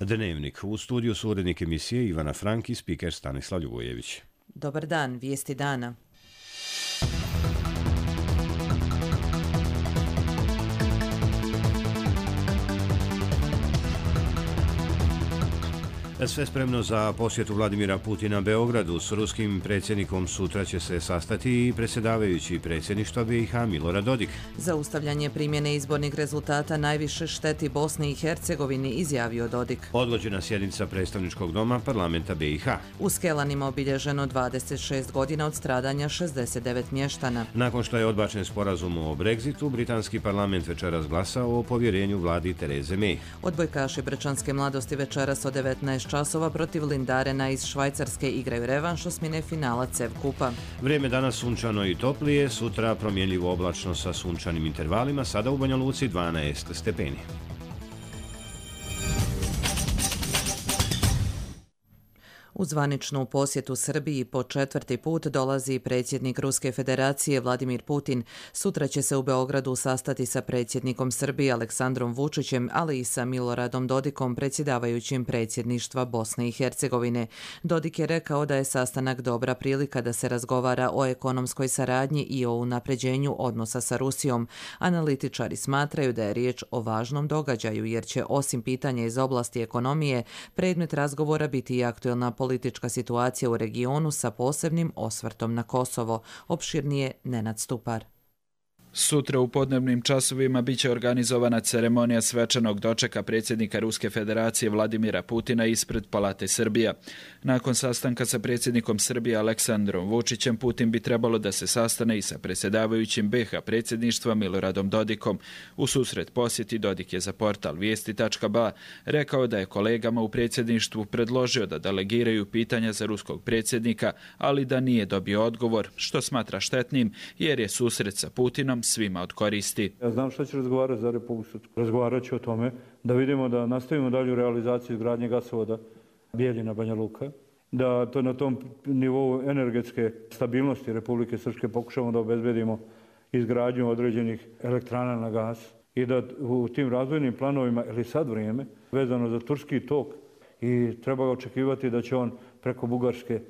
Dnevnik. U studiju su urednik emisije Ivana Frank i spiker Stanislav Ljubojević. Dobar dan, vijesti dana. Sve spremno za posjetu Vladimira Putina Beogradu. S ruskim predsjednikom sutra će se sastati i predsjedavajući predsjedništva BiH Milorad Dodik. Zaustavljanje primjene izbornih rezultata najviše šteti Bosni i Hercegovini, izjavio Dodik. Odgođena sjednica predstavničkog doma parlamenta BiH. U Skelanima obilježeno 26 godina od stradanja 69 mještana. Nakon što je odbačen sporazum o Brexitu, britanski parlament večeras glasao o povjerenju vladi Tereze May. Odbojkaši Brčanske mladosti večeras od 19 časova protiv Lindarena iz Švajcarske igraju revanš osmine finala CEV kupa. Vrijeme danas sunčano i toplije, sutra promjenljivo oblačno sa sunčanim intervalima, sada u Banja Luci 12 stepeni. U zvaničnu posjetu Srbiji po 4. put dolazi predsjednik Ruske federacije Vladimir Putin. Sutra će se u Beogradu sastati sa predsjednikom Srbije Aleksandrom Vučićem, ali i sa Miloradom Dodikom, predsjedavajućim predsjedništva Bosne i Hercegovine. Dodik je rekao da je sastanak dobra prilika da se razgovara o ekonomskoj saradnji i o unapređenju odnosa sa Rusijom. Analitičari smatraju da je riječ o važnom događaju jer će osim pitanja iz oblasti ekonomije predmet razgovora biti i aktuelna politička situacija u regionu sa posebnim osvrtom na Kosovo. Opširnije Nenad Stupar. Sutra u podnevnim časovima biće organizovana ceremonija svečanog dočeka predsjednika Ruske federacije Vladimira Putina ispred Palate Srbija. Nakon sastanka sa predsjednikom Srbije Aleksandrom Vučićem, Putin bi trebalo da se sastane i sa predsjedavajućim BiH predsjedništva Miloradom Dodikom. U susret posjeti Dodik je za portal Vijesti.ba rekao da je kolegama u predsjedništvu predložio da delegiraju pitanja za ruskog predsjednika, ali da nije dobio odgovor, što smatra štetnim jer je susret sa Putinom svima od koristi. Ja znam što će razgovarati za Republiku Srpsku. Razgovarat ću o tome da vidimo da nastavimo dalju realizaciju izgradnje gasovoda Bijeljina-Banja Luka, da to na tom nivou energetske stabilnosti Republike Srpske pokušamo da obezbedimo izgradnju određenih elektrana na gas i da u tim razvojnim planovima, ili sad vrijeme, vezano za turski tok i treba očekivati da će on preko Bugarske,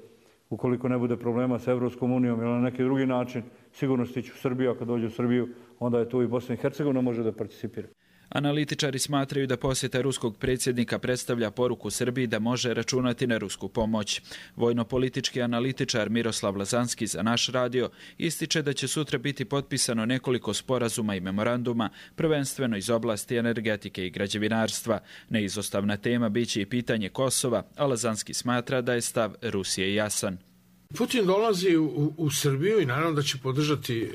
ukoliko ne bude problema sa Evropskom unijom ili na neki drugi način, sigurno stići u Srbiju, a kad dođe u Srbiju, onda je tu i Bosna i Hercegovina može da participira. Analitičari smatraju da posjeta ruskog predsjednika predstavlja poruku Srbiji da može računati na rusku pomoć. Vojno-politički analitičar Miroslav Lazanski za Naš radio ističe da će sutra biti potpisano nekoliko sporazuma i memoranduma, prvenstveno iz oblasti energetike i građevinarstva. Neizostavna tema biće i pitanje Kosova, a Lazanski smatra da je stav Rusije jasan. Putin dolazi u Srbiju i naravno da će podržati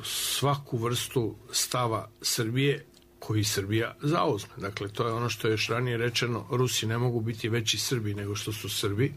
svaku vrstu stava Srbije koji Srbija zauzme. Dakle, to je ono što je još ranije rečeno, Rusi ne mogu biti veći Srbi nego što su Srbi.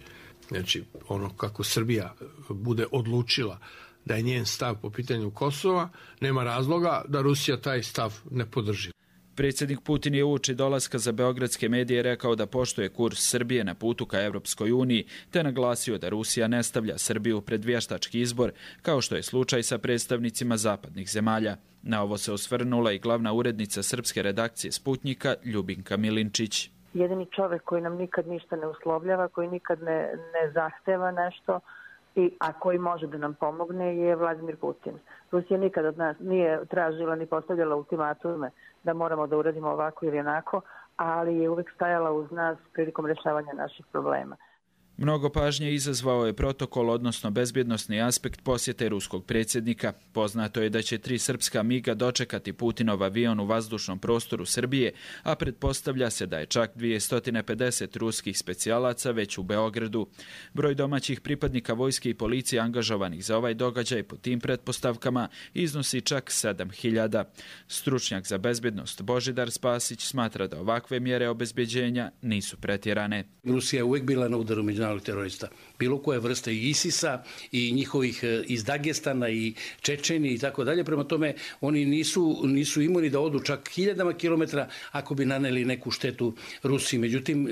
Znači, ono kako Srbija bude odlučila da je njen stav po pitanju Kosova, nema razloga da Rusija taj stav ne podrži. Predsjednik Putin je uoči dolaska za beogradske medije rekao da poštuje kurs Srbije na putu ka Evropskoj uniji, te naglasio da Rusija ne stavlja Srbiju pred vještački izbor, kao što je slučaj sa predstavnicima zapadnih zemalja. Na ovo se osvrnula i glavna urednica srpske redakcije Sputnjika Ljubinka Milinčić. Jedini čovjek koji nam nikad ništa ne uslovljava, koji nikad ne zahteva nešto, a koji može da nam pomogne je Vladimir Putin. Rusija nikad od nas nije tražila ni postavljala ultimatume da moramo da uradimo ovako ili onako, ali je uvijek stajala uz nas prilikom rješavanja naših problema. Mnogo pažnje izazvao je protokol, odnosno bezbjednosni aspekt posjete ruskog predsjednika. Poznato je da će 3 srpska MiG-a dočekati Putinov avion u vazdušnom prostoru Srbije, a pretpostavlja se da je čak 250 ruskih specijalaca već u Beogradu. Broj domaćih pripadnika vojske i policije angažovanih za ovaj događaj po tim pretpostavkama iznosi čak 7000. Stručnjak za bezbjednost Božidar Spasić smatra da ovakve mjere obezbeđenja nisu pretjerane. Rusija je uvijek bila na udaru međunarodnih terorista. Bilo koje vrste i ISIS-a i njihovih iz Dagestana i Čečeni i tako dalje. Prema tome, oni nisu imuni da odu čak 1000 kilometara ako bi naneli neku štetu Rusiji. Međutim,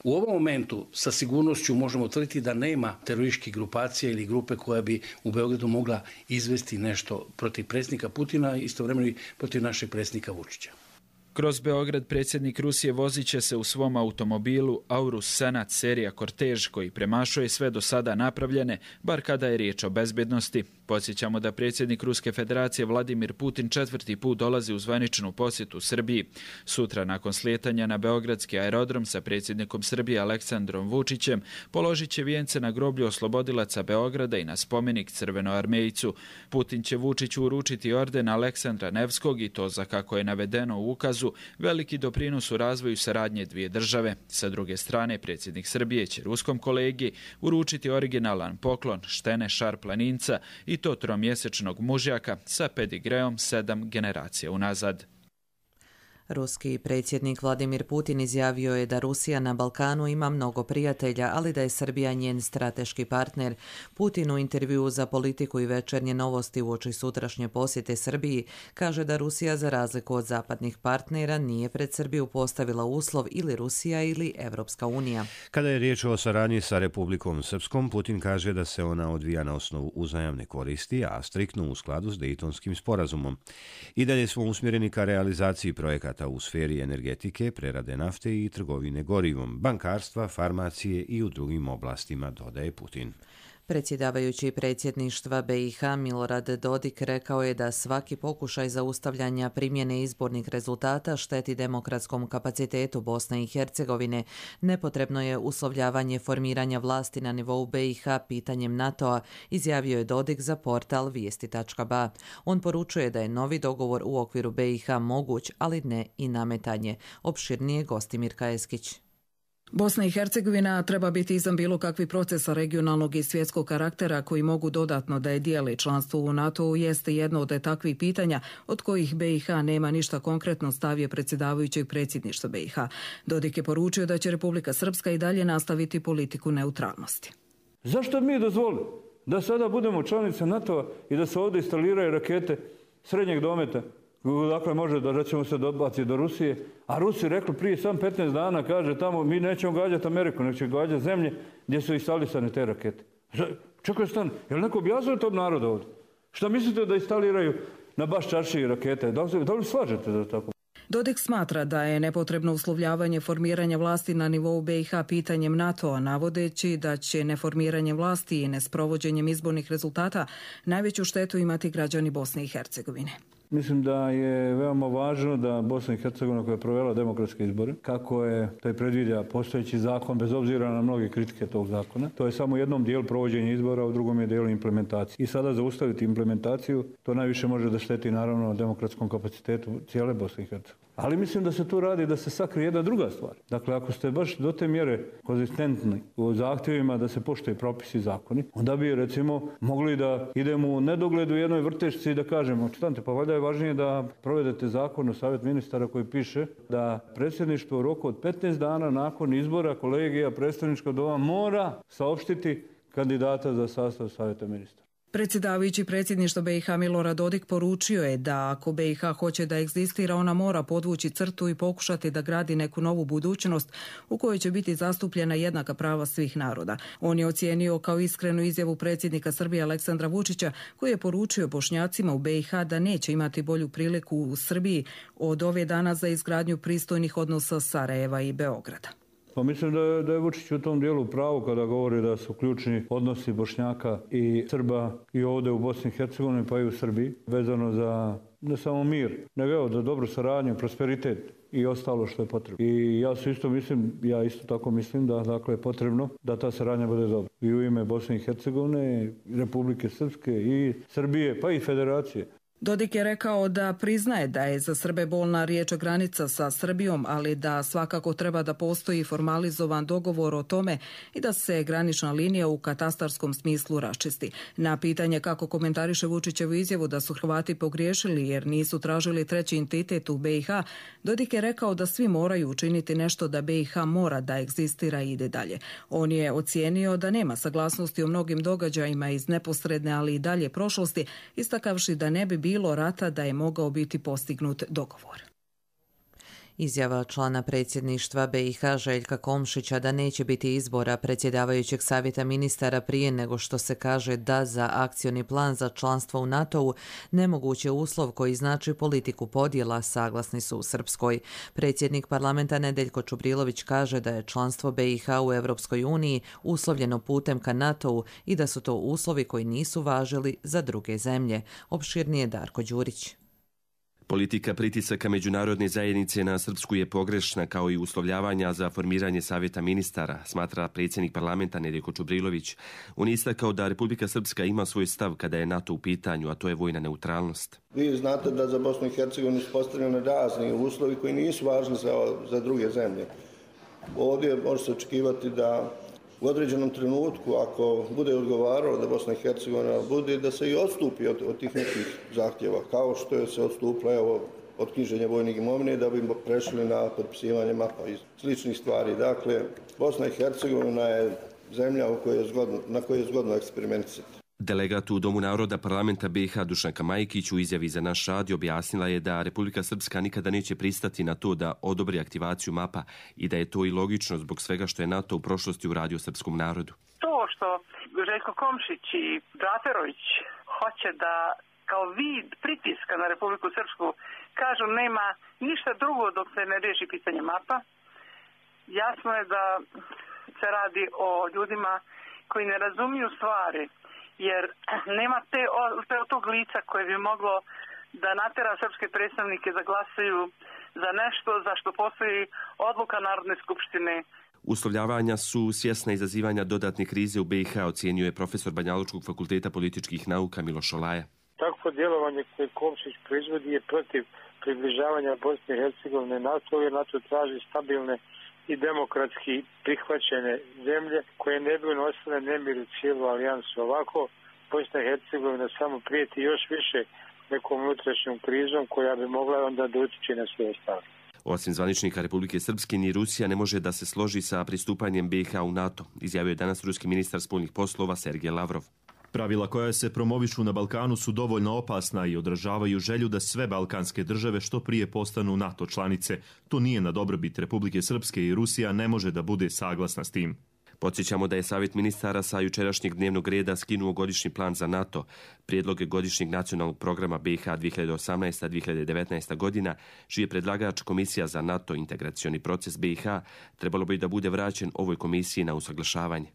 u ovom momentu sa sigurnošću možemo tvrditi da nema terorističkih grupacija ili grupe koja bi u Beogradu mogla izvesti nešto protiv predsjednika Putina, istovremeno i protiv našeg predsjednika Vučića. Kroz Beograd predsjednik Rusije vozit će se u svom automobilu Aurus Senat serija Kortež koji premašuje sve do sada napravljene, bar kada je riječ o bezbednosti. Podsjećamo da predsjednik Ruske federacije Vladimir Putin 4. put dolazi u zvaničnu posjetu Srbiji. Sutra nakon slijetanja na beogradski aerodrom sa predsjednikom Srbije Aleksandrom Vučićem položit će vijence na groblju oslobodilaca Beograda i na spomenik Crvenoarmejcu. Putin će Vučiću uručiti orden Aleksandra Nevskog i to za, kako je navedeno u ukazu, veliki doprinos u razvoju saradnje dvije države. Sa druge strane, predsjednik Srbije će ruskom kolegi uručiti originalan poklon Štene Šar-planinca i to tromjesečnog mužjaka sa pedigreom 7 generacija unazad. Ruski predsjednik Vladimir Putin izjavio je da Rusija na Balkanu ima mnogo prijatelja, ali da je Srbija njen strateški partner. Putin u intervjuu za Politiku i Večernje novosti uoči sutrašnje posjete Srbiji kaže da Rusija, za razliku od zapadnih partnera, nije pred Srbiju postavila uslov ili Rusija ili Evropska unija. Kada je riječ o saradnji sa Republikom Srpskom, Putin kaže da se ona odvija na osnovu uzajamne koristi, a striktno u skladu s Dejtonskim sporazumom. I dalje smo usmjereni ka realizaciji projekata u sferi energetike, prerade nafte i trgovine gorivom, bankarstva, farmacije i u drugim oblastima, dodaje Putin. Predsjedavajući predsjedništva BiH Milorad Dodik rekao je da svaki pokušaj zaustavljanja primjene izbornih rezultata šteti demokratskom kapacitetu Bosne i Hercegovine. Nepotrebno je uslovljavanje formiranja vlasti na nivou BiH pitanjem NATO-a, izjavio je Dodik za portal Vijesti.ba. On poručuje da je novi dogovor u okviru BiH moguć, ali ne i nametanje. Opširnije Gostimir Kajeskić. Bosna i Hercegovina treba biti izvan bilo kakvih procesa regionalnog i svjetskog karaktera koji mogu dodatno da je dijeli. Članstvo u NATO-u jeste jedno od takvih pitanja od kojih BiH nema ništa konkretno, stavio predsjedavajućeg predsjedništva BiH. Dodik je poručio da će Republika Srpska i dalje nastaviti politiku neutralnosti. Zašto mi dozvolili da sada budemo članice NATO-a i da se ovdje instaliraju rakete srednjeg dometa? Dakle, može da ćemo se dobaciti do Rusije, a Rusi rekli prije sam 15 dana, kaže tamo, mi nećemo gađati Ameriku, nego će gađati zemlje gdje su instalisane te rakete. Čekaj, stan, je li neko objasnio tom narodu ovdje? Šta mislite da instaliraju na baš čaršiji rakete? Da li slažete da tako? Dodik smatra da je nepotrebno uslovljavanje formiranja vlasti na nivou BiH pitanjem NATO-a, navodeći da će neformiranje vlasti i nesprovođenjem izbornih rezultata najveću štetu imati građani Bosne i Hercegovine. Mislim da je veoma važno da Bosna i Hercegovina koja je provela demokratske izbore, kako je to je predviđa postojeći zakon, bez obzira na mnoge kritike tog zakona, to je samo jednom dijelu provođenja izbora, a u drugom je dijelu implementacije. I sada zaustaviti implementaciju, to najviše može da šteti naravno demokratskom kapacitetu cijele Bosne i Hercegovine. Ali mislim da se tu radi da se sakrije jedna druga stvar. Dakle, ako ste baš do te mjere konzistentni u zahtjevima da se poštuje propisi i zakoni, onda bi recimo mogli da idemo u nedogled u jednoj vrtešci i da kažemo, čitante, pa valjda je važnije da provedete zakon u Savjet ministara koji piše da predsjedništvo u roku od 15 dana nakon izbora kolegija predstavničkog doma mora saopštiti kandidata za sastav Savjeta ministara. Predsjedavajući predsjedništva BiH Milorad Dodik poručio je da ako BiH hoće da egzistira, ona mora podvući crtu i pokušati da gradi neku novu budućnost u kojoj će biti zastupljena jednaka prava svih naroda. On je ocijenio kao iskrenu izjavu predsjednika Srbije Aleksandra Vučića, koji je poručio Bošnjacima u BiH da neće imati bolju priliku u Srbiji od ove dana za izgradnju pristojnih odnosa Sarajeva i Beograda. Pa mislim da je Vučić u tom dijelu pravo kada govori da su ključni odnosi Bošnjaka i Srba i ovdje u Bosni i Hercegovini pa i u Srbiji vezano za ne samo mir, nego za dobru saradnju, prosperitet i ostalo što je potrebno. I ja isto tako mislim da dakle je potrebno da ta saradnja bude dobra. I u ime Bosne i Hercegovine, Republike Srpske i Srbije pa i Federacije. Dodik je rekao da priznaje da je za Srbe bolna riječ granica sa Srbijom, ali da svakako treba da postoji formalizovan dogovor o tome i da se granična linija u katastarskom smislu raščisti. Na pitanje kako komentariše Vučićevu izjavu da su Hrvati pogriješili jer nisu tražili treći entitet u BiH, Dodik je rekao da svi moraju učiniti nešto da BiH mora da egzistira i ide dalje. On je ocijenio da nema saglasnosti o mnogim događajima iz neposredne, ali i dalje prošlosti, istakavši da ne bi bilo rata da je mogao biti postignut dogovor. Izjava člana predsjedništva BiH Željka Komšića da neće biti izbora predsjedavajućeg savjeta ministara prije nego što se kaže da za akcioni plan za članstvo u NATO-u nemoguć je uslov koji znači politiku podjela, saglasni su u Srpskoj. Predsjednik parlamenta Nedeljko Čubrilović kaže da je članstvo BiH u Europskoj uniji uslovljeno putem ka NATO-u i da su to uslovi koji nisu važili za druge zemlje. Opširnije Darko Đurić. Politika pritisaka međunarodne zajednice na Srpsku je pogrešna, kao i uslovljavanja za formiranje savjeta ministara, smatra predsjednik parlamenta Nedeljko Čubrilović. On je istakao da Republika Srpska ima svoj stav kada je NATO u pitanju, a to je vojna neutralnost. Vi znate da za Bosnu i Hercegovinu su postavljeni razni uslovi koji nisu važni za druge zemlje. Ovdje može se očekivati da u određenom trenutku, ako bude odgovaralo da Bosna i Hercegovina bude, da se i odstupi od tih nekih zahtjeva, kao što je se odstupilo od knjiženja vojnih imovine da bi prešli na potpisivanje mapa i sličnih stvari. Dakle, Bosna i Hercegovina je zemlja na kojoj je zgodno eksperimentisati. Delegat u Domu naroda parlamenta BiH Dušanka Majkić u izjavi za naš radio objasnila je da Republika Srpska nikada neće pristati na to da odobri aktivaciju mapa i da je to i logično zbog svega što je NATO u prošlosti uradio srpskom narodu. To što Željko Komšić i Džaferović hoće da kao vid pritiska na Republiku Srpsku kažu nema ništa drugo dok se ne riješi pitanje mapa, jasno je da se radi o ljudima koji ne razumiju stvari, jer nema tog lica koje bi moglo da natera srpske predstavnike da glasaju za nešto za što postoji odluka Narodne skupštine. Uslovljavanja su svjesna izazivanja dodatne krize u BiH, ocjenjuje profesor Banjalučkog fakulteta političkih nauka Miloš Olaja. Takvo djelovanje koje Komšić proizvodi je protiv približavanja Bosne i Hercegovine NATO, jer NATO traži stabilne i demokratski prihvaćene zemlje koje ne bi nosile nemir u cijelu alijansu. Ovako, Bosna i Hercegovina samo prijeti još više nekom unutrašnjom krizom koja bi mogla onda da utječe na sve ostalo. Osim zvaničnika Republike Srpske, ni Rusija ne može da se složi sa pristupanjem BiH u NATO, izjavio je danas ruski ministar spoljnih poslova Sergej Lavrov. Pravila koja se promovišu na Balkanu su dovoljno opasna i odražavaju želju da sve balkanske države što prije postanu NATO članice. To nije na dobrobit Republike Srpske i Rusija ne može da bude saglasna s tim. Podsjećamo da je Savjet ministara sa jučerašnjeg dnevnog reda skinuo godišnji plan za NATO. Prijedloge godišnjeg nacionalnog programa BiH 2018-2019 godina, čiji je predlagač Komisija za NATO integracioni proces BiH, trebalo bi da bude vraćen ovoj komisiji na usaglašavanje.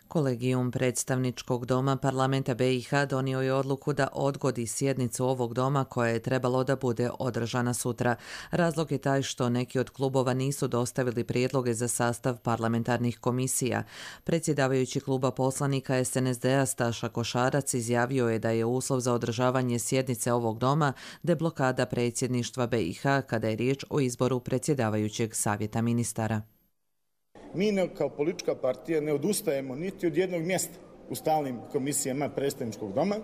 Kolegijum predstavničkog doma parlamenta BiH donio je odluku da odgodi sjednicu ovog doma koja je trebalo da bude održana sutra. Razlog je taj što neki od klubova nisu dostavili prijedloge za sastav parlamentarnih komisija. Predsjedavajući kluba poslanika SNSD-a Staša Košarac izjavio je da je uslov za održavanje sjednice ovog doma deblokada predsjedništva BiH kada je riječ o izboru predsjedavajućeg savjeta ministara. Mi kao politička partija ne odustajemo niti od jednog mjesta u stalnim komisijama predstavničkog doma,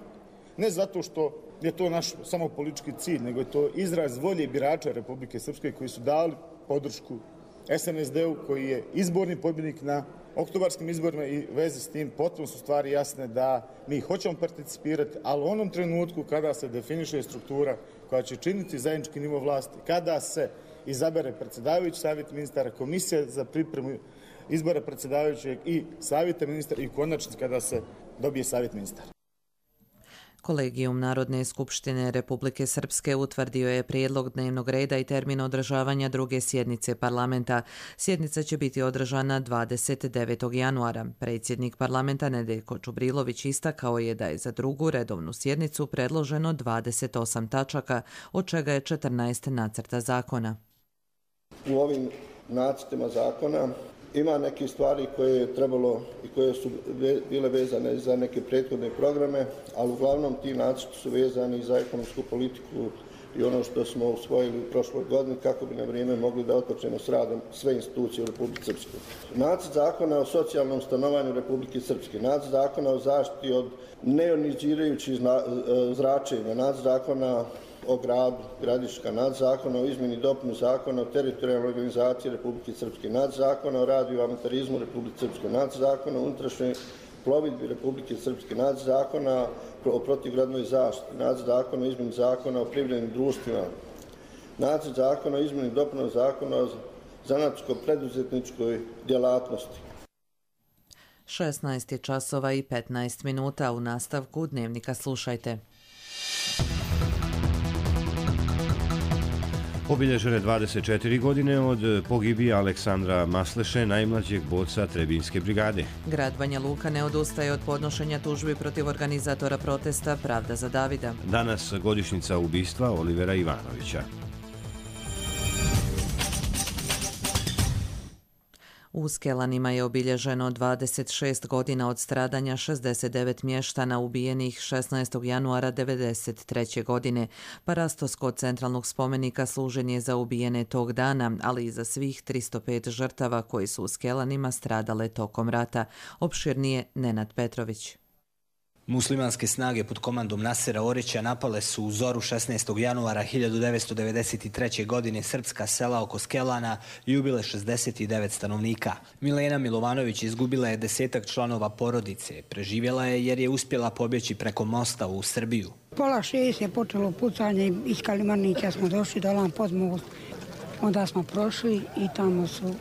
ne zato što je to naš samo politički cilj, nego je to izraz volje birača Republike Srpske koji su dali podršku SNSD-u koji je izborni pobjednik na oktobarskim izborima i veze s tim potpuno su stvari jasne da mi hoćemo participirati, ali u onom trenutku kada se definiše struktura koja će činiti zajednički nivo vlasti, kada se izabere predsjedavajući savjet ministara, komisija za pripremu izbora predsjedavajućeg i savjeta ministara i konačno kada se dobije savjet ministara. Kolegijum Narodne skupštine Republike Srpske utvrdio je prijedlog dnevnog reda i termin održavanja druge sjednice parlamenta. Sjednica će biti održana 29. januara. Predsjednik parlamenta Nedeljko Čubrilović istakao je da je za drugu redovnu sjednicu predloženo 28 tačaka, od čega je 14 nacrta zakona. U ovim nacrtima zakona ima neke stvari koje je trebalo i koje su bile vezane za neke prethodne programe, ali uglavnom ti nacrti su vezani za ekonomsku politiku i ono što smo usvojili u prošloj godini kako bi na vrijeme mogli da otpočnemo s radom sve institucije u Republike Srpskoj. Nacrt zakona o socijalnom stanovanju Republike Srpske, nacrt zakona o zaštiti od neionizirajućih zračenja, nacrt zakona o gradu Gradiška, nacrt zakona o izmjeni i dopuni zakona o teritorijalnoj organizaciji Republike Srpske, nacrt zakona o radioamatarizmu Republike Srpske, nacrt zakona o unutrašnjoj plovidbi Republike Srpske, nacrt zakona o protivgradnoj zaštiti, nacrt zakona o izmjeni zakona o privrednim društvima, Nacrt zakona o izmjeni i dopuni zakona o zanatsko-preduzetničkoj djelatnosti. 16 časova i 15 minuta. U nastavku Dnevnika slušajte. Obilježene 24 godine od pogibije Aleksandra Masleše, najmlađeg borca Trebinjske brigade. Grad Banja Luka ne odustaje od podnošenja tužbi protiv organizatora protesta Pravda za Davida. Danas godišnjica ubistva Olivera Ivanovića. U Skelanima je obilježeno 26 godina od stradanja 69 mještana ubijenih 16. januara 1993. godine. Parastos kod centralnog spomenika služen je za ubijene tog dana, ali i za svih 305 žrtava koji su u Skelanima stradale tokom rata. Opširnije Nenad Petrović. Muslimanske snage pod komandom Nasera Orića napale su u zoru 16. januara 1993. godine srpska sela oko Skelana i ubile 69 stanovnika. Milena Milovanović izgubila je 10 članova porodice. Preživjela je jer je uspjela pobjeći preko mosta u Srbiju. Pola 6 je počelo pucanje, iz Kalimanića smo došli dolan pod most. Onda smo prošli i tamo su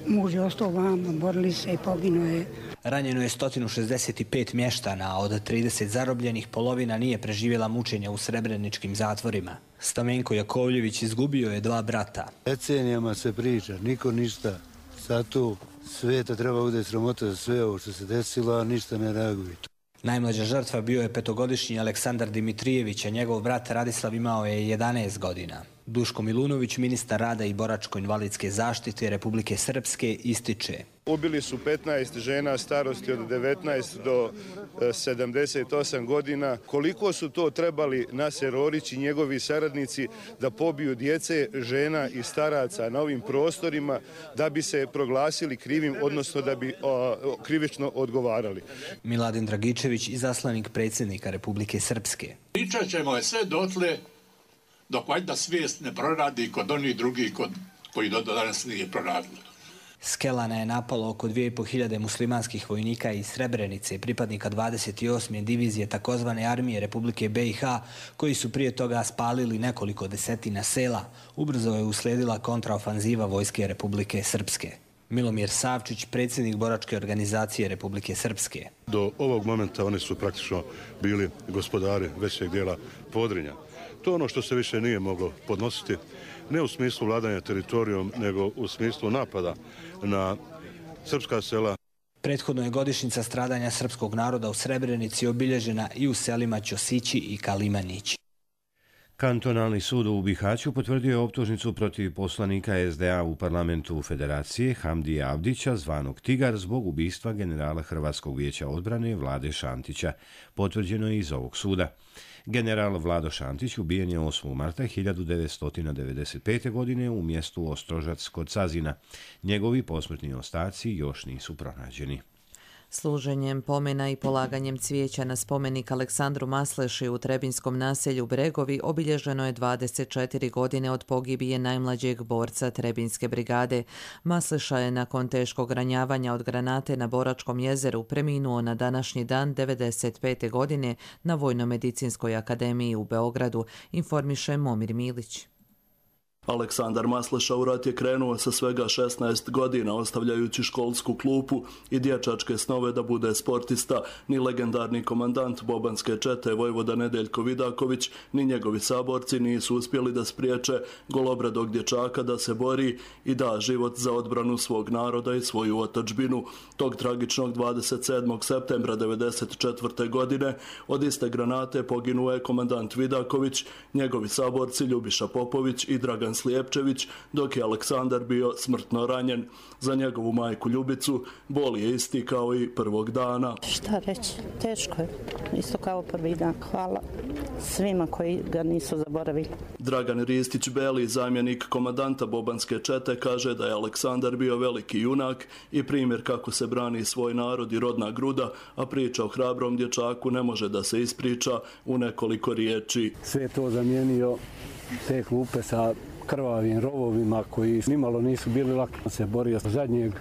muž je ostao vama, borili se i poginuo je. Ranjeno je 165 mještana, a od 30 zarobljenih polovina nije preživjela mučenja u srebreničkim zatvorima. Stamenko Jakovljević izgubio je 2 brata. Decenijama se priča, niko ništa. Sad tu sveta treba bude sramota za sve ovo što se desilo, a ništa ne reaguje. Najmlađa žrtva bio je 5-godišnji Aleksandar Dimitrijević, a njegov brat Radislav imao je 11 godina. Duško Milunović, ministar rada i boračko-invalidske zaštite Republike Srpske, ističe. Ubili su 15 žena starosti od 19 do 78 godina. Koliko su to trebali Naser Orić i njegovi saradnici da pobiju djece, žena i staraca na ovim prostorima da bi se proglasili krivim, odnosno da bi krivično odgovarali. Miladin Dragičević, izaslanik predsjednika Republike Srpske. Pričat ćemo je sve dotle dok valjda svijest ne proradi kod onih drugih koji do danas nije proradilo. Skelana je napalo oko 2500 muslimanskih vojnika iz Srebrenice, pripadnika 28. divizije takozvane armije Republike BiH, koji su prije toga spalili nekoliko desetina sela. Ubrzo je uslijedila kontraofanziva vojske Republike Srpske. Milomir Savčić, predsjednik boračke organizacije Republike Srpske. Do ovog momenta oni su praktično bili gospodari većeg dijela Podrinja. To je ono što se više nije moglo podnositi, ne u smislu vladanja teritorijom, nego u smislu napada na srpska sela. Prethodno je godišnjica stradanja srpskog naroda u Srebrenici obilježena i u selima Ćosići i Kalimanić. Kantonalni sud u Bihaću potvrdio je optužnicu protiv poslanika SDA u parlamentu Federacije Hamdija Avdića, zvanog Tigar, zbog ubistva generala Hrvatskog vijeća odbrane Vlade Šantića. Potvrđeno je iz ovog suda. General Vlado Šantić ubijen je 8. marta 1995. godine u mjestu Ostrožac kod Sazina. Njegovi posmrtni ostaci još nisu pronađeni. Služenjem pomena i polaganjem cvijeća na spomenik Aleksandru Masleši u Trebinjskom naselju Bregovi obilježeno je 24 godine od pogibije najmlađeg borca Trebinjske brigade. Masleša je nakon teškog ranjavanja od granate na Boračkom jezeru preminuo na današnji dan 95. godine na Vojno-medicinskoj akademiji u Beogradu, informiše Momir Milić. Aleksandar Masleša u rat je krenuo sa svega 16 godina, ostavljajući školsku klupu i dječačke snove da bude sportista. Ni legendarni komandant bobanske čete vojvoda Nedeljko Vidaković, ni njegovi saborci nisu uspjeli da spriječe golobradog dječaka da se bori i da život za odbranu svog naroda i svoju otadžbinu. Tog tragičnog 27. septembra 1994. godine od iste granate poginuo je komandant Vidaković, njegovi saborci Ljubiša Popović i Dragan Slijepčević, dok je Aleksandar bio smrtno ranjen. Za njegovu majku Ljubicu bol je isti kao i prvog dana. Šta reći, teško je, isto kao prvi dan. Hvala svima koji ga nisu zaboravili. Dragan Ristić-Beli, zamjenik komandanta bobanske čete, kaže da je Aleksandar bio veliki junak i primjer kako se brani svoj narod i rodna gruda, a priča o hrabrom dječaku ne može da se ispriča u nekoliko riječi. Sve to zamijenio te klupe sa krvavim rovovima koji nimalo nisu bili lako se borio za zadnjeg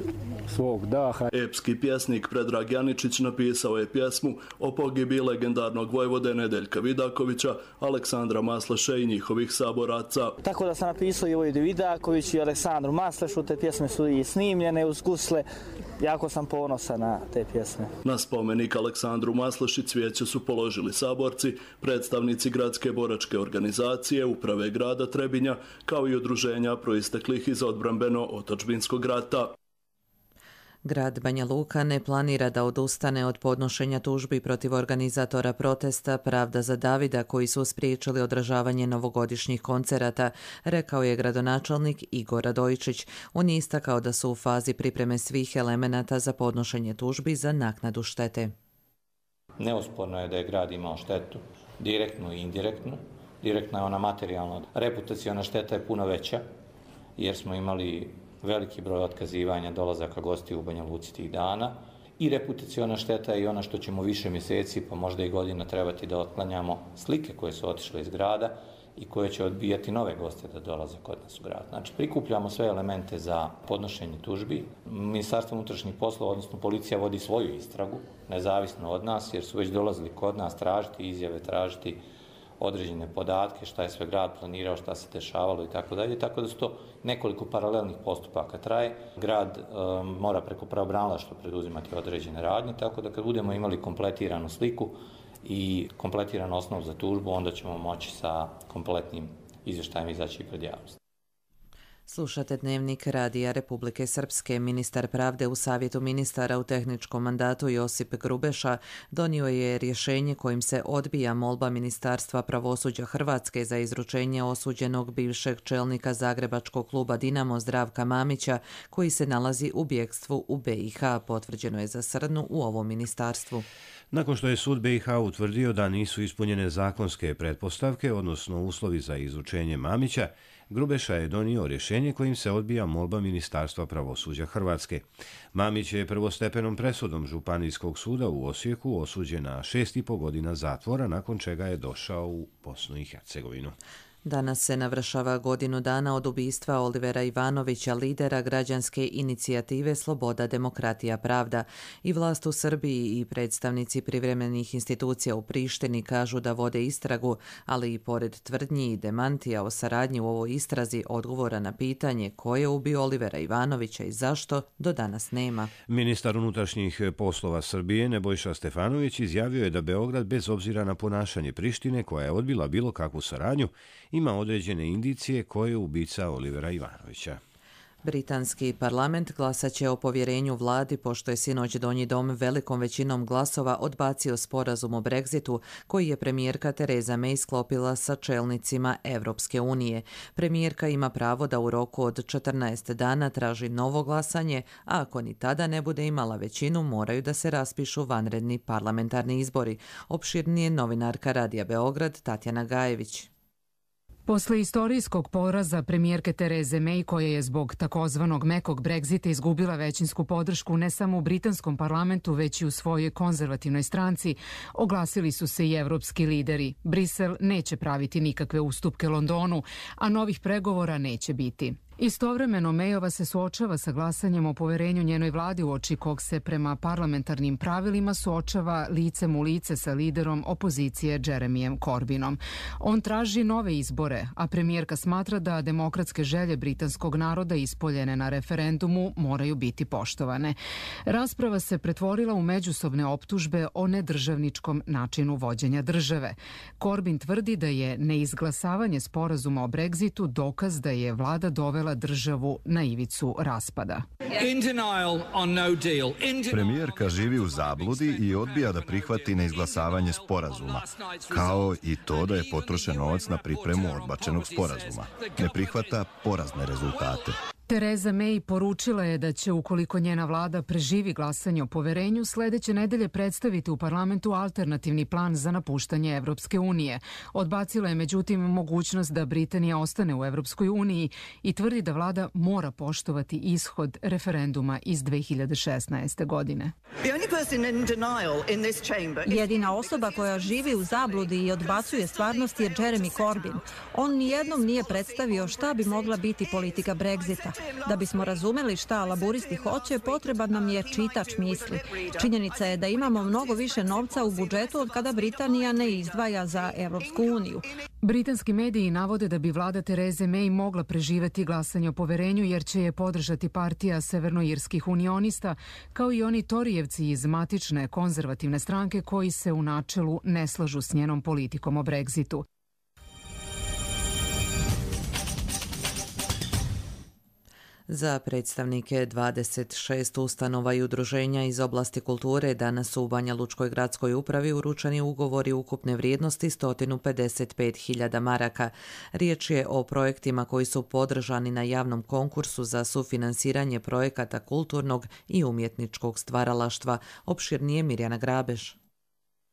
svog daha. Epski pjesnik Predrag Janičić napisao je pjesmu o pogibi legendarnog vojvode Nedeljka Vidakovića, Aleksandra Masleše i njihovih saboraca. Tako da sam napisao i Vojvodi Vidakoviću i Aleksandru Maslešu, te pjesme su i snimljene uz gusle. Jako sam ponosan na te pjesme. Na spomenik Aleksandru Masleši cvijeće su položili saborci, predstavnici gradske boračke organizacije, uprave grada Trebinja, kao i udruženja proisteklih iz odbrambeno-otadžbinskog rata. Grad Banja Luka ne planira da odustane od podnošenja tužbi protiv organizatora protesta Pravda za Davida koji su spriječili održavanje novogodišnjih koncerata, rekao je gradonačelnik Igor Radojičić. On je istakao da su u fazi pripreme svih elemenata za podnošenje tužbi za naknadu štete. Neosporno je da je grad imao štetu, direktnu i indirektnu. Direktna je ona materijalna. Reputaciona šteta je puno veća, jer smo imali veliki broj otkazivanja dolazaka gostiju u Banja Luci tih dana. I reputaciona šteta je i ona što ćemo više mjeseci, pa možda i godina trebati da otklanjamo slike koje su otišle iz grada i koje će odbijati nove goste da dolaze kod nas u grad. Znači, prikupljamo sve elemente za podnošenje tužbi. Ministarstvo unutrašnjih poslova, odnosno policija, vodi svoju istragu, nezavisno od nas, jer su već dolazili kod nas tražiti izjave, tražiti određene podatke, šta je sve grad planirao, šta se dešavalo i tako dalje. Tako da su to nekoliko paralelnih postupaka traje. Grad mora preko pravobranilaštva preduzimati određene radnje, tako da kad budemo imali kompletiranu sliku i kompletiran osnov za tužbu, onda ćemo moći sa kompletnim izvještajem izaći pred javnost. Slušate Dnevnik Radija Republike Srpske. Ministar pravde u Savjetu ministara u tehničkom mandatu Josip Grubeša donio je rješenje kojim se odbija molba Ministarstva pravosuđa Hrvatske za izručenje osuđenog bivšeg čelnika zagrebačkog kluba Dinamo Zdravka Mamića, koji se nalazi u bjegstvu u BiH, potvrđeno je za srnu u ovom ministarstvu. Nakon što je sud BiH utvrdio da nisu ispunjene zakonske pretpostavke, odnosno uslovi za izručenje Mamića, Grubeša je donio rješenje kojim se odbija molba Ministarstva pravosuđa Hrvatske. Mamić je prvostepenom presudom Županijskog suda u Osijeku osuđen na 6,5 godina zatvora, nakon čega je došao u Bosnu i Hercegovinu. Danas se navršava godinu dana od ubistva Olivera Ivanovića, lidera građanske inicijative Sloboda, demokratija, pravda. I vlast u Srbiji i predstavnici privremenih institucija u Prištini kažu da vode istragu, ali i pored tvrdnji i demantija o saradnji u ovoj istrazi, odgovora na pitanje ko je ubio Olivera Ivanovića i zašto, do danas nema. Ministar unutrašnjih poslova Srbije Nebojša Stefanović izjavio je da Beograd, bez obzira na ponašanje Prištine, koja je odbila bilo kakvu saradnju, ima određene indicije ko je ubica Olivera Ivanovića. Britanski parlament glasat će o povjerenju vladi pošto je sinoć Donji dom velikom većinom glasova odbacio sporazum o Brexitu koji je premijerka Tereza May sklopila sa čelnicima Evropske unije. Premijerka ima pravo da u roku od 14 dana traži novo glasanje, a ako ni tada ne bude imala većinu, moraju da se raspišu vanredni parlamentarni izbori. Opširnije novinarka Radija Beograd Tatjana Gajević. Posle istorijskog poraza premijerke Tereze May, koja je zbog takozvanog mekog Brexita izgubila većinsku podršku ne samo u britanskom parlamentu, već i u svojoj konzervativnoj stranci, oglasili su se i evropski lideri. Brisel neće praviti nikakve ustupke Londonu, a novih pregovora neće biti. Istovremeno Mayova se suočava sa glasanjem o poverenju njenoj vladi, uoči kog se prema parlamentarnim pravilima suočava licem u lice sa liderom opozicije Jeremyjem Corbynom. On traži nove izbore, a premijerka smatra da demokratske želje britanskog naroda ispoljene na referendumu moraju biti poštovane. Rasprava se pretvorila u međusobne optužbe o nedržavničkom načinu vođenja države. Corbyn tvrdi da je neizglasavanje sporazuma o Brexitu dokaz da je vlada dovela državu na ivicu raspada. Premijerka živi u zabludi i odbija da prihvati neizglasavanje sporazuma, kao i to da je potrošen novac na pripremu odbačenog sporazuma. Ne prihvata porazne rezultate. Theresa May poručila je da će, ukoliko njena vlada preživi glasanje o poverenju, sledeće nedelje predstaviti u parlamentu alternativni plan za napuštanje Evropske unije. Odbacila je međutim mogućnost da Britanija ostane u Evropskoj uniji i tvrdi da vlada mora poštovati ishod referenduma iz 2016. godine. Jedina osoba koja živi u zabludi i odbacuje stvarnost je Jeremy Corbyn. On nijednom nije predstavio šta bi mogla biti politika Brexita. Da bismo razumeli šta laburisti hoće, potreban nam je čitač misli. Činjenica je da imamo mnogo više novca u budžetu od kada Britanija ne izdvaja za Evropsku uniju. Britanski mediji navode da bi vlada Therese May mogla preživeti glasanje o poverenju jer će je podržati partija severnoirskih unionista, kao i oni Torijevci iz matične konzervativne stranke koji se u načelu ne slažu s njenom politikom o Brexitu. Za predstavnike 26 ustanova i udruženja iz oblasti kulture danas su u Banja Lučkoj gradskoj upravi uručeni ugovori ukupne vrijednosti 155.000 maraka. Riječ je o projektima koji su podržani na javnom konkursu za sufinansiranje projekata kulturnog i umjetničkog stvaralaštva. Opširnije Mirjana Grabež.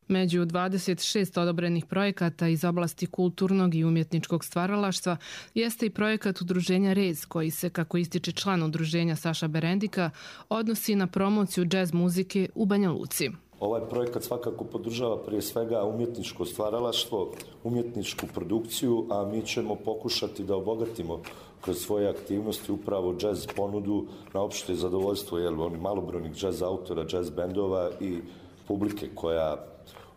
Među 26 odobrenih projekata iz oblasti kulturnog i umjetničkog stvaralaštva jeste i projekat udruženja Rez, koji se, kako ističe član udruženja Saša Berendika, odnosi na promociju džez muzike u Banja Luci. Ovaj projekat svakako podržava prije svega umjetničko stvaralaštvo, umjetničku produkciju, a mi ćemo pokušati da obogatimo kroz svoje aktivnosti upravo džez ponudu na opšte zadovoljstvo malobrojnih džez autora, džez bendova i publike koja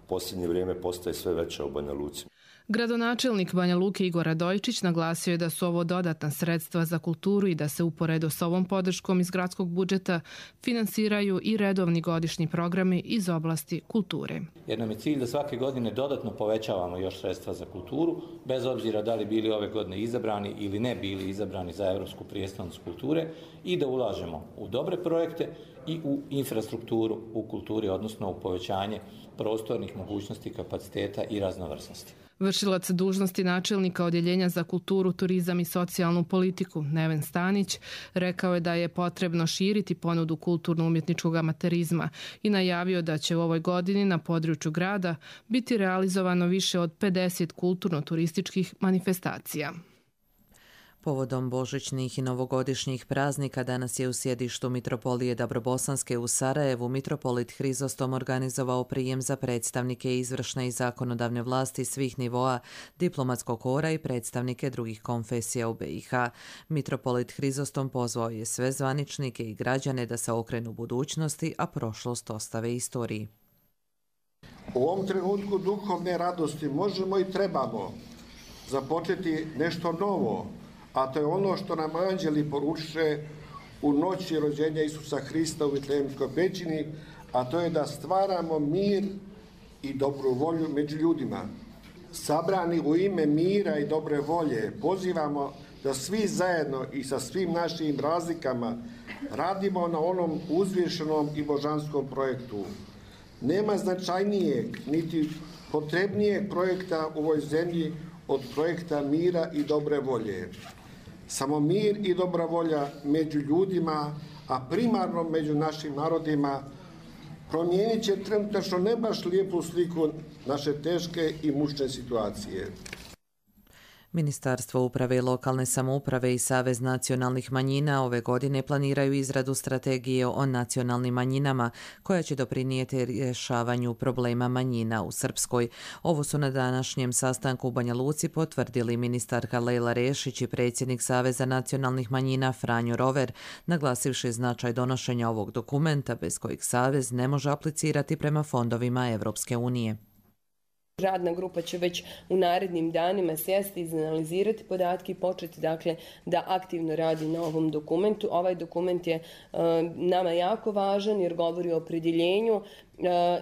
posljednje vrijeme postaje sve veća u Banja Luci. Gradonačelnik Banja Luke Igor Radojčić naglasio je da su ovo dodatna sredstva za kulturu i da se uporedo s ovom podrškom iz gradskog budžeta finansiraju i redovni godišnji programi iz oblasti kulture. Jer nam je cilj da svake godine dodatno povećavamo još sredstva za kulturu, bez obzira da li bili ove godine izabrani ili ne bili izabrani za Evropsku prijestolnicu kulture, i da ulažemo u dobre projekte i u infrastrukturu u kulturi, odnosno u povećanje prostornih mogućnosti, kapaciteta i raznovrsnosti. Vršilac dužnosti načelnika Odjeljenja za kulturu, turizam i socijalnu politiku Neven Stanić rekao je da je potrebno širiti ponudu kulturno-umjetničkog amaterizma i najavio da će u ovoj godini na području grada biti realizovano više od 50 kulturno-turističkih manifestacija. Povodom božićnih i novogodišnjih praznika danas je u sjedištu Mitropolije Dabrobosanske u Sarajevu mitropolit Hrizostom organizovao prijem za predstavnike izvršne i zakonodavne vlasti svih nivoa, diplomatskog kora i predstavnike drugih konfesija u BiH. Mitropolit Hrizostom pozvao je sve zvaničnike i građane da se okrenu budućnosti, a prošlost ostave istoriji. U ovom trenutku duhovne radosti možemo i trebamo započeti nešto novo, a to je ono što nam anđeli poručiše u noći rođenja Isusa Hrista u Vitlejemskoj pećini, a to je da stvaramo mir i dobru volju među ljudima. Sabrani u ime mira i dobre volje pozivamo da svi zajedno i sa svim našim razlikama radimo na onom uzvišenom i božanskom projektu. Nema značajnijeg niti potrebnijeg projekta u ovoj zemlji od projekta mira i dobre volje. Samo mir i dobra volja među ljudima, a primarno među našim narodima, promijenit će trenutačno ne baš lijepu sliku naše teške i mučne situacije. Ministarstvo uprave i lokalne samouprave i Savez nacionalnih manjina ove godine planiraju izradu strategije o nacionalnim manjinama koja će doprinijeti rješavanju problema manjina u Srpskoj. Ovo su na današnjem sastanku u Banja Luci potvrdili ministarka Lejla Rešić i predsjednik Saveza nacionalnih manjina Franjo Rover, naglasivši značaj donošenja ovog dokumenta bez kojeg Savez ne može aplicirati prema fondovima Evropske unije. Radna grupa će već u narednim danima sjesti, izanalizirati podatke i početi da aktivno radi na ovom dokumentu. Ovaj dokument je nama jako važan jer govori o opredjeljenju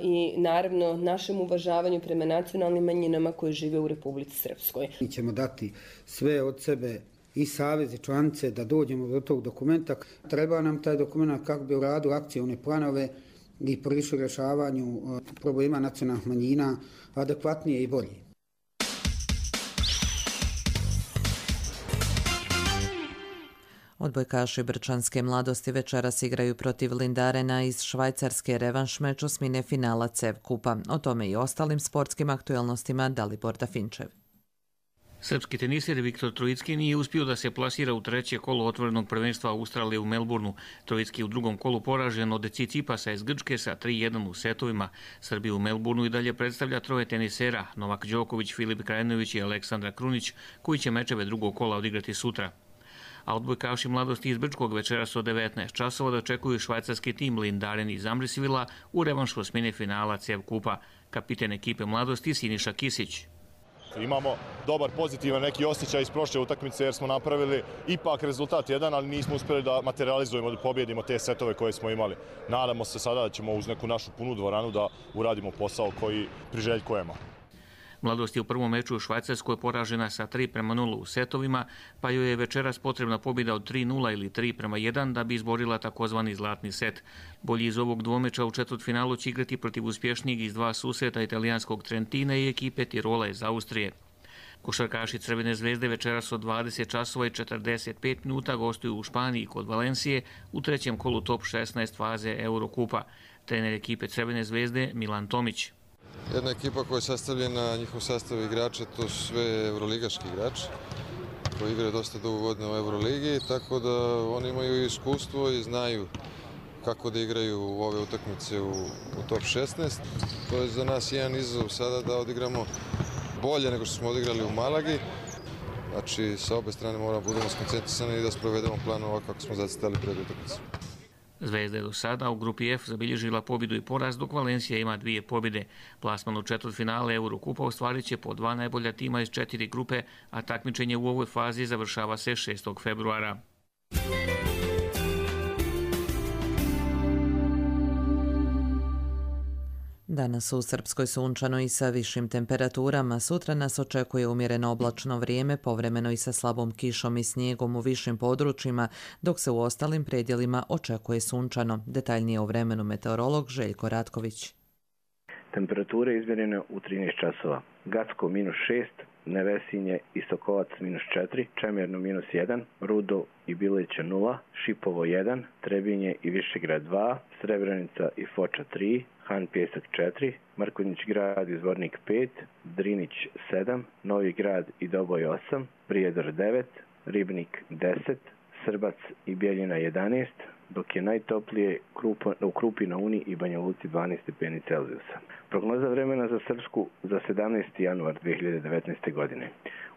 i naravno našem uvažavanju prema nacionalnim manjinama koje žive u Republici Srpskoj. Mi ćemo dati sve od sebe i savez i članice da dođemo do tog dokumenta. Treba nam taj dokument kako bi u radu akcione planove i prišli rješavanju problema nacionalnih manjina adekvatnije i bolje. Odbojkaši Brčanske mladosti večeras igraju protiv Lindarena iz Švajcarske, revanš meč osmine finala CEV kupa. O tome i ostalim sportskim aktuelnostima Dalibor Dafinčev. Srpski tenisir Viktor Trojicki nije uspio da se plasira u treće kolo otvorenog prvenstva Australije u Melbourneu. Trojicki u drugom kolu poražen od Tsitsipasa iz Grčke sa 3-1 u setovima. Srbiju u Melbourneu i dalje predstavlja troje tenisera, Novak Đoković, Filip Krajinović i Aleksandra Krunić, koji će mečeve drugog kola odigrati sutra. A odbojkaši mladosti iz Brčkog večeras od 19 časova dočekuju švajcarski tim Lindaren iz Amrisvila u revanšu osmine finala CEV kupa. Kapiten ekipe mladosti Siniša Kisić. Imamo dobar, pozitivan neki osjećaj iz prošle utakmice jer smo napravili ipak rezultat jedan, ali nismo uspjeli da materializujemo, da pobjedimo te setove koje smo imali. Nadamo se sada da ćemo uz neku našu punu dvoranu da uradimo posao koji priželjkujemo. Mladost je u prvom meču u Švajcarskoj poražena sa 3-0 u setovima, pa joj je večeras potrebna pobjeda od 3-0 ili 3-1 da bi izborila takozvani zlatni set. Bolji iz ovog dvomeča u četvrtfinalu će igrati protiv uspješnijeg iz dva susreta italijanskog Trentina i ekipe Tirola iz Austrije. Košarkaši Crvene zvezde večeras od 20 časova i 45 minuta gostuju u Španiji kod Valencije u trećem kolu top 16 faze Eurokupa. Trener ekipe Crvene zvezde Milan Tomić. Jedna ekipa koja je sastavljena, njihov sastav igrača, to su sve evroligaški igrači koji igraju dosta dugo godina u Euroligi, tako da oni imaju iskustvo i znaju kako da igraju u ove utakmice u top 16. To je za nas jedan izazov sada da odigramo bolje nego što smo odigrali u Malagi. Znači, sa obe strane moramo budemo skoncentrisani i da sprovedemo plan ovako kako smo zacrtali pred utakmicu. Zvezda je do sada u grupi F zabilježila pobjedu i poraz, dok Valencija ima 2 pobjede. Plasman u četvrtfinale Eurokupa ostvarit će po 2 najbolja tima iz 4 grupe, a takmičenje u ovoj fazi završava se 6. februara. Danas u Srpskoj sunčano i sa višim temperaturama. Sutra nas očekuje umjereno oblačno vrijeme, povremeno i sa slabom kišom i snijegom u višim područjima, dok se u ostalim predjelima očekuje sunčano. Detaljnije o vremenu meteorolog Željko Ratković. Temperature izmjerene u 13 časova. Gacko -6, Nevesinje i Sokovac -4, Čemerno -1, Rudo i Biliće 0, Šipovo 1, Trebinje i Višegrad 2, Srebrenica i Foča 3, Han Pjesak 4, Mrkonjić grad i Zvornik 5, Drinić 7, Novi grad i Doboj 8, Prijedor 9, Ribnik 10, Srbac i Bjeljina 11, dok je najtoplije u Krupi na Uni i Banja Luci 12 stepeni Celzijusa. Prognoza vremena za Srpsku za 17. januar 2019. godine.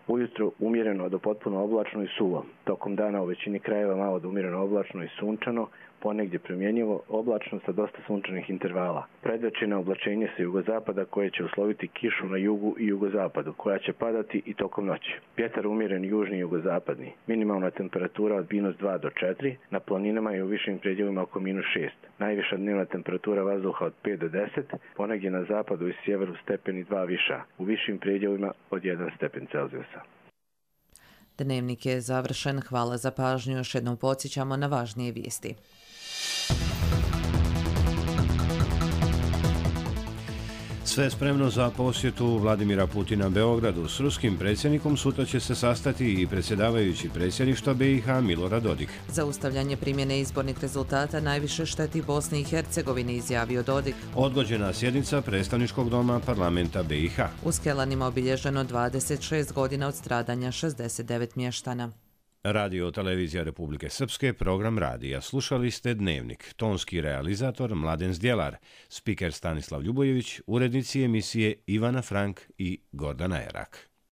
Ujutro umjereno do potpuno oblačno i suvo. Tokom dana u većini krajeva malo do umjereno oblačno i sunčano, ponegdje promjenjivo oblačno sa dosta sunčanih intervala. Predvečerno oblačenje sa jugozapada koje će usloviti kišu na jugu i jugozapadu, koja će padati i tokom noći. Vjetar umjeren južni i jugozapadni. Minimalna temperatura od -2 do 4, na planinama i u višim predjelima oko -6. Najviša dnevna temperatura vazduha od 5 do 10, ponegdje na zapadu i sjeveru stepeni 2 viša, u višim predjelima od 1 stepen Celzijusa. Dnevnik je završen. Hvala za pažnju. Još jednom podsjećamo na važnije vijesti. Sve spremno za posjetu Vladimira Putina Beogradu. S ruskim predsjednikom sutra će se sastati i predsjedavajući predsjedništva BiH Milorad Dodik. Zaustavljanje primjene izbornih rezultata najviše šteti Bosni i Hercegovini, izjavio Dodik. Odgođena sjednica predstavničkog doma parlamenta BiH. U Skelanima obilježeno 26 godina od stradanja 69 mještana. Radio Televizija Republike Srpske, program radija. Slušali ste Dnevnik. Tonski realizator Mladen Zdjelar, spiker Stanislav Ljubojević, urednici emisije Ivana Frank i Gordana Erak.